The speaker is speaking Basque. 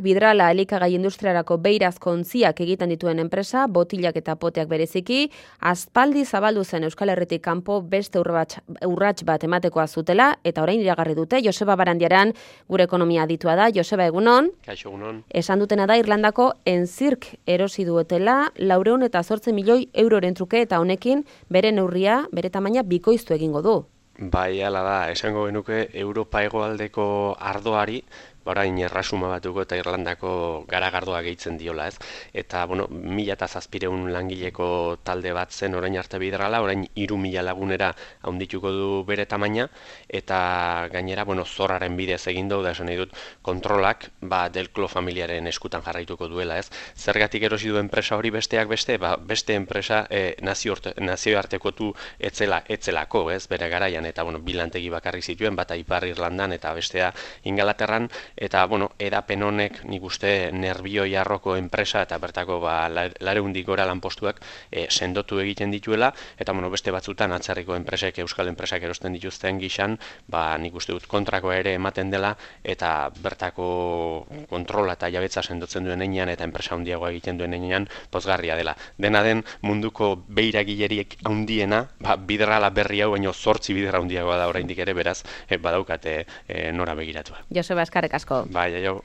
Vidrala elikagai industriarako beirazko ontziak egiten dituen enpresa, botilak eta poteak bereziki, aspaldi zabaldu zen Euskal Herritik kanpo beste urrats bat ematekoa zutela, eta orain iragarri dute. Joseba Barandiaran gure ekonomia aditua da. Joseba, egunon. Kaixo, egunon. Esan dutena da Irlandako Enzirk erosi duetela 408 milioi euroren truke, eta honekin bere neurria, bere tamaina bikoiztu egingo du. Bai, hala da, esango genuke Europa hegoaldeko ardoari, orain erresuma batuko eta Irlandako garagardoa gehitzen diola, ez? Eta, 1.700 langileko talde bat zen orain arte Vidrala, orain 3.000 lagunera handituko du bere tamaina, eta gainera, zorraren bidez egin da esan nahi dut, kontrolak, Delclo familiaren eskutan jarraituko duela, ez? Zergatik erosi du enpresa hori besteak beste, beste enpresa nazioartekotu etzelako, ez? Bere garaian, eta, bilantegi bakarrik zituen, bata Ipar Irlandan eta bestea Ingalaterran, eta, edapen honek nik uste Nerbioi arroko enpresa eta bertako 400 gora lanpostuak sendotu egiten dituela, eta beste batzutan atzerriko enpresek, euskal enpresak erosten dituzten gixan, nik uste dut kontrakoa ere ematen dela, eta bertako kontrola eta jabetza sendotzen duen einean, eta enpresa handiagoa egiten duen einean, pozgarria dela. Dena den munduko beiragileriek handiena, Vidrala berri hau, baino 8 bidera handiagoa da oraindik ere, beraz, badaukate nora begiratua. Joseba, eskerrik asko. Bai, aio.